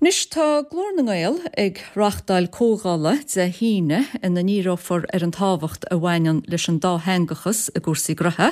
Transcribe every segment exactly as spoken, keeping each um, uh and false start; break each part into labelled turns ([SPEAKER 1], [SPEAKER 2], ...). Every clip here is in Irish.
[SPEAKER 1] Anois tá Glór na nGael ag reáchtáil comhdhála Dé hAoine ina ndíreofar ar an tábhacht a bhaineann leis an dátheangachas i gcúrsaí gnótha.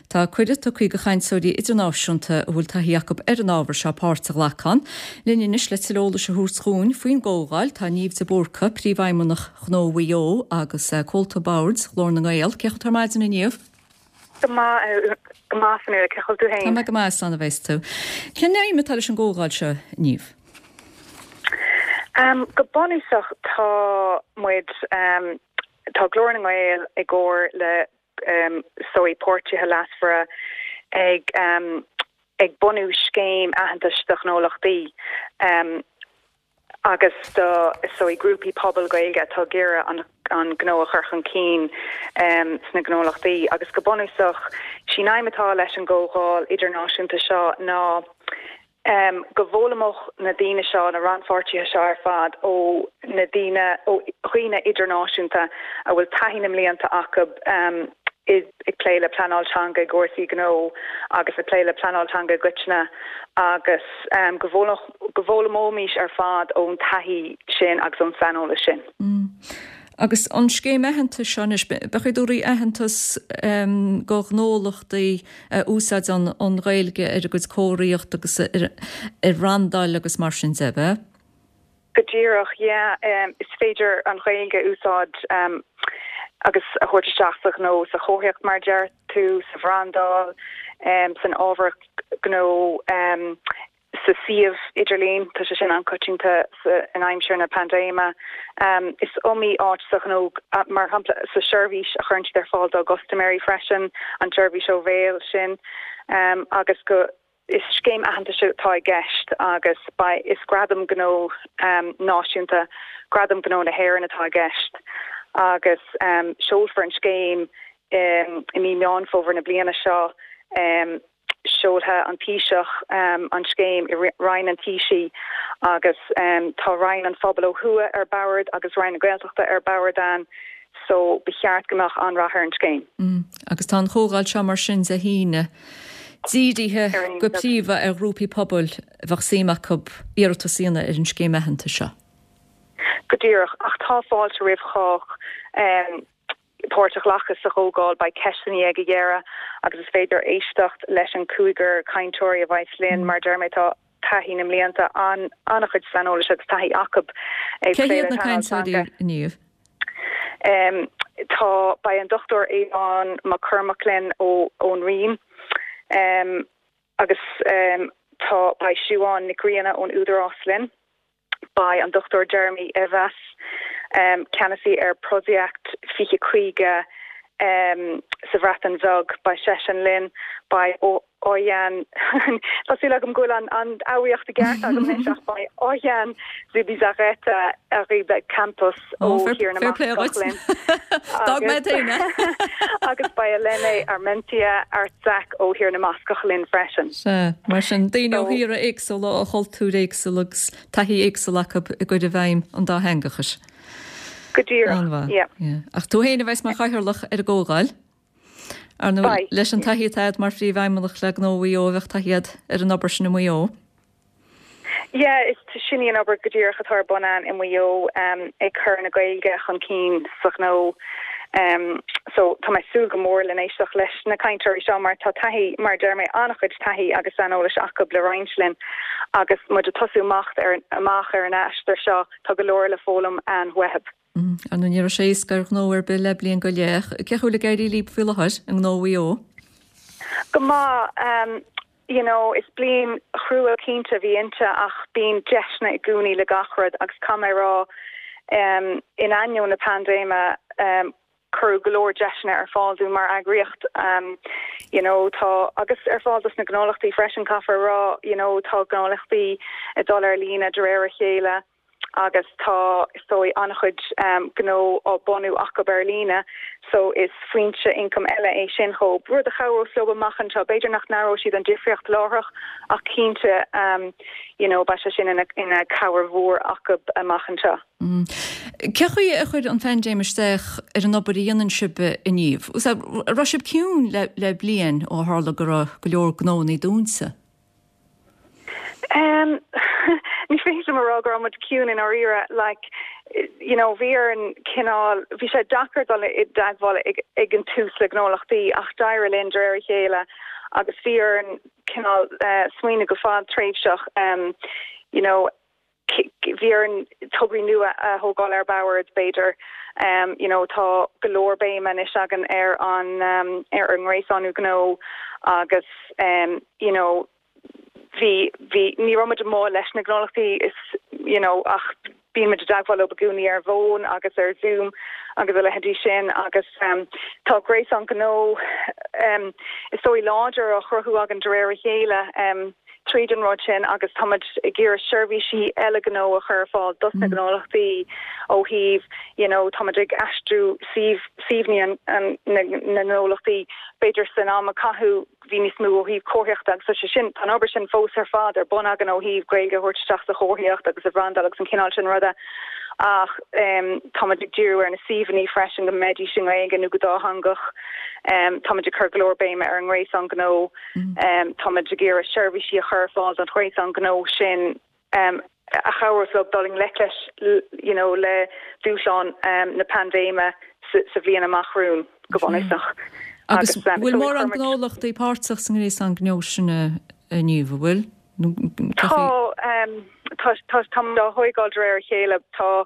[SPEAKER 1] Tá cuireadh tugtha do chainteoirí idirnáisiúnta a bhfuil taithí acu ar an ábhar seo páirt a ghlacadh ann. Linn anois le tuilleadh eolais a thabhairt dúinn faoin gcomhdháil tá Niamh de Búrca, Príomhfheidhmeannach Ghnó Mhaigh Eo agus Comhalta Boird Ghlór na nGael. Cén chaoi a bhfuil tú ar maidin a Niamh?
[SPEAKER 2] Go maith go maith Fionnuala, cén chaoi a bhfuil tú
[SPEAKER 1] féin? Tá mé go maith, slán a bheas tú. Cén aidhm atá leis an gcomhdháil seo, Niamh?
[SPEAKER 2] Um, go bunúsach tá muid um, tá Glór na nGael i gcomhar le um, sói páirtithe leasmhara ag um, ag bunú scéim aitheantais do ghnólachtaí um, agus do sói grúpaí pobail Gaeilge atá ag iarraidh an an gnó a chur chun cinn um, sna gnólachtaí agus go bunúsach sí an aidhm atá leis an gcomhdháil idirnáisiúnta seo ná um, go bhfoghlaimeodh na daoine seo na rannpháirtithe seo ar fad ó na daoine ó dhaoine idirnáisiúnta a bhfuil taithí na mblianta acu um, ag plé le pleanáil teanga i gcúrsaí gnó agus ag plé le pleanáil teanga i gcoitinne agus um, go bhfoghlaimeoimis ar fad ón taithí sin agus ón saineolas sin.
[SPEAKER 1] Mm. Agus an scéim aitheantais seo anois beidh ag tabhairt aitheantas um, do ghnólachtaí uh, úsáideann an Ghaeilge ar a gcuid comharthaíocht agus ar, ar bhrandáil agus mar sin de bheith?
[SPEAKER 2] Go díreach yeah, um, is féidir an Ghaeilge úsáid um, agus a thabhairt isteach sa ghnó sa chomharthaíocht mar deir tú sa bhrandáil um, san ábhar gnó um, sa suíomh idirlín tá sé sin an-choitianta in aimsir na paindéime. Um, is iomaí áit sa ghnó mar shampla sa seirbhís a chuireann siad ar fáil dá gcustaiméirí freisin an tseirbhís ó bhéal sin um, agus go is scéim aitheantais atá i gceist agus ba is gradam gnó um, náisiúnta gradam gnó na hÉireann atá i gceist agus um, seolfar an scéim um, i mí Meán Fómhair na bliana seo um, seolfaidh an Taoiseach um, an scéim i Roinn an Taoisigh agus um, tá Roinn an Phobail ó thuaidh ar bord agus Roinn na Gaeltachta ar bord ann so ba cheart go mbeadh an-rath ar an scéim.
[SPEAKER 1] Mm. Agus tá an chomhdháil seo mar sin Dé hAoine. Dírithe go príomha ar ghrúpaí pobail a bheadh suim acu iarratas a dhéanamh ar an scéim aitheantais seo.
[SPEAKER 2] Go díreach ach tá fáilte roimh chách um, páirt a ghlacadh sa chomhdháil beidh ceisteanna ag an deireadh agus is féidir éisteacht leis an cúigear cainteoirí a bheidh linn mar deir mé tá taithí na mblianta an an-chuid saineolais agus taithí acu
[SPEAKER 1] Cé hiad na cainteoirí inniu?
[SPEAKER 2] Um, tá beidh an Dr Aodhán Mac Cormaic linn ó ón Rinn um, agus um, tá beidh Siún Nic Grianna ón Údarás linn beidh an Dr Jeremy Evas um, ceannasaí ar Prosiect fiche caoga um, sa Bhreatain Bheag beidh seisean linn beidh Oihan Tá súil agam go bhfuil an an fhoghraíocht i gceart agam ach beidh Oihan Zubizarreta Arriba Campos ó Thír na linn. Agus beidh Elene Armentia Artzak ó Thír na mBascach linn freisin.
[SPEAKER 1] Se mar sin daoine ó thíortha éagsúla ó chultúir éagsúla agus taithí éagsúil acu i gcur i bhfeidhm an dátheangachais.
[SPEAKER 2] Go díreach.
[SPEAKER 1] Ach tú féin a bheas mar chathaoirleach ar an gcomhdháil? Ar nó leis an taithí atá agat mar phríomhfheidhmeannach le Gnó Mhaigh Eo a bheadh taithí agat ar an obair sin i Maigh Eo.
[SPEAKER 2] Yeah, is sin í an obair go díreach atá ar bun againn i Maigh Eo um, ag cur na Gaeilge chun cinn sa ghnó. Um, so tá mé ag súil go mór le éisteacht leis na cainteoirí seo mar tá taithí mar deir mé an-chuid taithí agus saineolais acu le roinnt linn agus muid ag tosú amach ar amach ar an aistear seo tá go leor le foghlaim an uathu.
[SPEAKER 1] Mm, Ar ndóigh ní raibh sé éasca ar ghnó ar bith le bliain go leith, cén chaoi a bhfuil ag éirí libh faoi láthair i nGnó Mhaigh Eo?
[SPEAKER 2] Go maith um, you know, is bliain chrua cinnte a bhí inti ach bíonn deiseanna i gcónaí le gach rud agus caithfidh mé rá um, in ainneoin na paindéime um, cuireadh go leor deiseanna ar fáil dúinn mar eagraíocht um, you know, tá agus ar fáil dos na gnólachtaí freisin caithfear rá you know, tá gnólachtaí ag dul ar líne de réir a chéile agus tá so an-chuid um, gnó á bunú acu ar líne so is foinse ioncaim eile é sin chomh rud a chabhróidh leo amach anseo b'fhéidir nach n-aireoidh siad an difríocht láithreach ach cinnte um, you know, beidh sé sin ina, ina cabhair mhór acu amach anseo.
[SPEAKER 1] Mm. Cén chaoi a chuir an phaindéim isteach ar an obair a dhéanann sibh inniu? Raibh sibh ciúin le, le bliain ó tharla go raibh go leor gnónna dúnta?
[SPEAKER 2] Um, ní féidir liom a rá go raibh muid ciúin i ndáiríre like you know bhí an cineál bhí sé deacair dul i dteagmháil ag, ag an tús le gnólachtaí ach d'éirigh linn de réir a chéile agus bhí an cineál uh, smaoineamh go fadtréimhseach um, you know bhí an tograí nua a thógáil ar bord b'fhéidir um, you know tá go leor béime anois againn ar an um, ar an ngréasán gnó agus um, you know bhí bhí ní raibh muid amuigh leis na gnólachtaí is you know ach bíonn muid i dteagmháil leo i gcónaí ar bhfón agus ar Zoom agus a leithéidí sin agus um, tá gréasán gnó um, is dóigh láidir á chruthú againn de réir a chéile um, tríd an rud sin agus táimid ag iarraidh seirbhísí eile gnó a chur fáil dos na mm. gnólachtaí ó thaobh you know táimid ag aistriú suíomhanna na ngnólachtaí b'fhéidir san am a caitheadh bhí níos mó ó thaobh comharthaíochta agus sé sin tá obair sin fós ar fad ar bun againn ó thaobh Gaeilge a thabhairt isteach sa chomharthaíocht agus a bhrandáil agus an cineál sin ruda ach um, táimid ag díriú ar na suíomhanna freisin go mbeidís i nGaeilge nó go dátheangach um, táimid ag cur go leor béime ar an ngréasán gnó mm. um, táimid ag iarraidh seirbhísí a chur fáil don ghréasán gnó sin um, a chabhrós leo dul i ngleic leis you know, le dúshlán um, na paindéime sa, sa bhliain amach romhainn go bunúsach.
[SPEAKER 1] Agus bhfuil mórán gnólachtaí páirteach sa ngréasán gnó sin inniu bhfuil?
[SPEAKER 2] Tá tá tá á thógáil de réir a chéile tá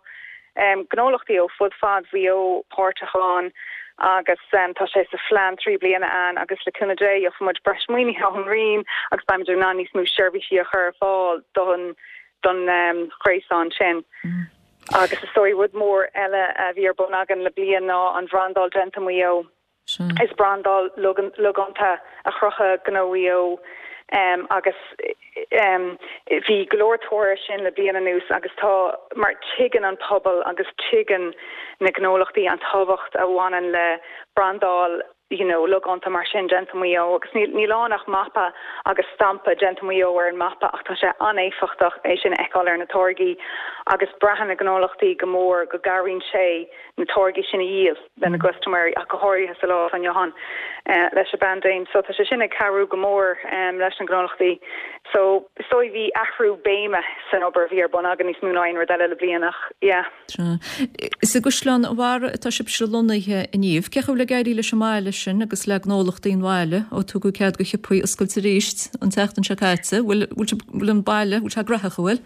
[SPEAKER 2] um, gnólachtaí ó fud fad Mhaigh Eo páirteach ann agus um, tá sé sa phlean trí bliana ann agus le cúnamh Dé gheobhaidh muid breis maoinithe ón Roinn agus beimid in ann níos mó seirbhísí a chur fáil don don um, ghréasán sin. Mm. Agus is dóigh rud mór eile a bhí ar bun againn le bliain ná an bhrandáil Déanta Mhaigh Eo. Is brandáil logánta a chruthaigh Gnó Mhaigh Eo um, agus um, bhí go leor tóir sin le bliain anuas agus tá mar tuigeann an pobal agus tuigeann na gnólachtaí an tábhacht a bhaineann le brandáil you know, logánta mar sin Déanta Mhaigh Eo agus níl ann ach mapa agus stampa Déanta Mhaigh Eo ar an mapa ach tá sé an-éifeachtach é sin a fheiceáil ar na táirgí agus braitheann na gnólachtaí go mór go gcabhraíonn sé na táirgí sin a dhíol lena gcustaiméirí ach go háirithe sa lá inniu ann uh, leis an bpaindéim so tá sé sin ag cabhrú go mór um, leis na gnólachtaí so so bhí athrú béime san obair bhí ar bun againn níos mó ná aon rud eile le bliain ach yeah.
[SPEAKER 1] Is i gCaisleán an Bharraigh atá sibhse lonnaithe inniu, cén chaoi a bhfuil ag éirí leis an mbaile sin agus le gnólachtaí an bhaile ó tugadh cead do shiopaí oscailt arís an tseachtain seo caite, bhfuil an baile bhfuil sé gnóthach bhfuil?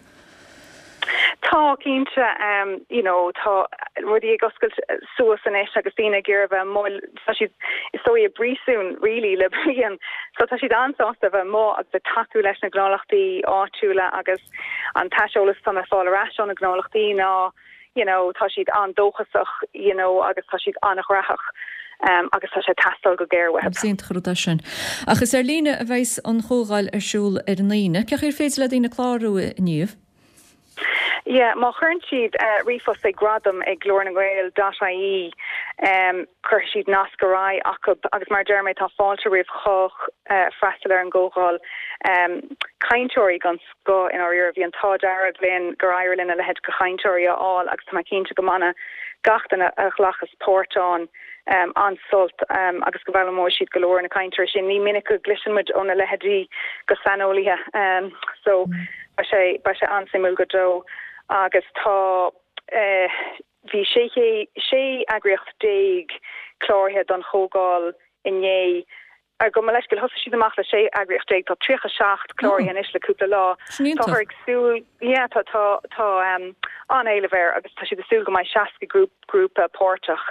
[SPEAKER 2] Tá cinnte um, you know, tá rudaí ag oscailt suas anois agus daoine ag iarraidh bheith amuigh tá siad is dóigh i bpríosún really le bliain so tá siad an-sásta bheith amuigh agus ag tacú leis na gnólachtaí áitiúla agus an t-aiseolas atá le fáil ar ais ó na gnólachtaí ná you know, tá siad an-dóchasach you know, agus tá siad an-ghnóthach. Um, agus tá sé ag teastáil go géar uathu.
[SPEAKER 1] Sin rud é sin. Ach is ar líne a bheas an chomhdháil ar siúl ar an Aoine, cén chaoi ar féidir le daoine clárú inniu?
[SPEAKER 2] Yeah, má chuireann siad uh, ríomhphost ag gradam ag glór na nGael dot IE um, cuirfidh siad nasc ar aghaidh acu agus mar deir mé tá fáilte roimh chách uh, freastal ar an gcomhdháil um, cainteoirí den scoth in áirithe bhí an t-ádh dearg linn gur éirigh linn a leithéid de chainteoirí a fháil agus tá mé cinnte go mbainfidh gach duine a ghlacas páirt ann um, an-sult um, agus go bhfoghlaimeoidh siad go leor na cainteoirí sin. Ní minic go gcloiseann muid óna leithéidí de shaineolaithe um, so mm. beidh sé beidh sé an-suimiúil go deo agus tá uh, bhí sé sé eagraíocht déag cláraithe don chomhdháil inné gabh mo leithscéal thosaigh siad amach le sé eagraíocht déag tá tríocha seacht cláraithe anois le cúpla lá. Tá ag súil yeah, tá tá tá um, an-éileamh air agus tá siad ag súil go mbeidh seasca grúp grúpa páirteach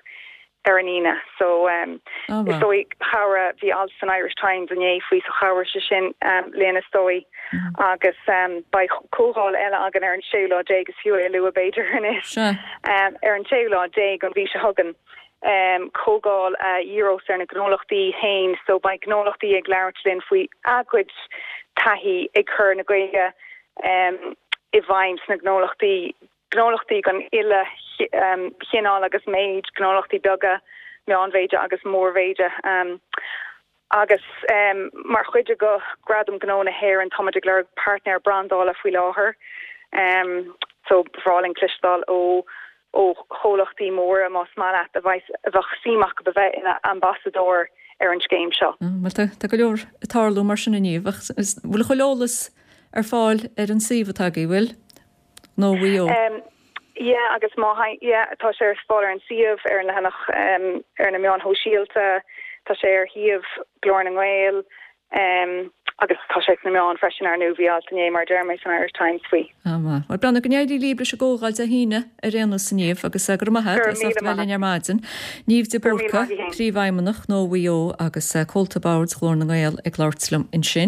[SPEAKER 2] ar an Aoine so um, oh, wow. is dóigh chabhraigh bhí alt san Irish Times inné faoi so chabhraigh sé sin um, linn is dóigh mm. agus um, beidh comhdháil eile againn ar an séú lá déag is fiú é a lua b'fhéidir anois um, ar an séú lá déag an mhí seo chugainn um, comhdháil a uh, dhíreos ar na gnólachtaí féin so beidh gnólachtaí ag labhairt linn faoi a gcuid taithí ag cur na Gaeilge um, i bhfeidhm sna gnólachtaí gnólachtaí den uile um, chineál agus méid gnólachtaí beaga meánmhéide agus mórmhéide um, agus um, mar chuid de Ghradam Gnó na hÉireann táimid ag lorg páirtnéir brandála faoi láthair um, so ba bhreá linn cloisteáil ó ó chomhlachtaí móra más maith leat a bheith a bheadh suim acu a bheith ina ambasadóir ar an scéim seo.
[SPEAKER 1] Mm, tá tá go leor ag tarlú mar sin inniu, bhfuil chuile eolas ar fáil ar an suíomh atá agaibh, bhfuil? Gnó Mhaigh Eo.
[SPEAKER 2] Yeah, agus má yeah, tá sé ar fáil ar an suíomh ar an leathanach um, ar na meáin shóisialta, tá sé ar shuíomh Glór na nGael um, agus tá sé sna meáin freisin ar ndóigh bhí alt inné mar deir mé san Irish Times faoi.
[SPEAKER 1] Ah, Well brená go n-éirí libh leis an gcomhdháil Dé hAoine ar aon nós a Niamh agus go raibh maith as ucht bheith linn ar maidin. Niamh de Búrca, Príomhfheidhmeannach Ghnó Mhaigh Eo agus comhalta boird Ghlór na nGael ag labhairt liom ansin.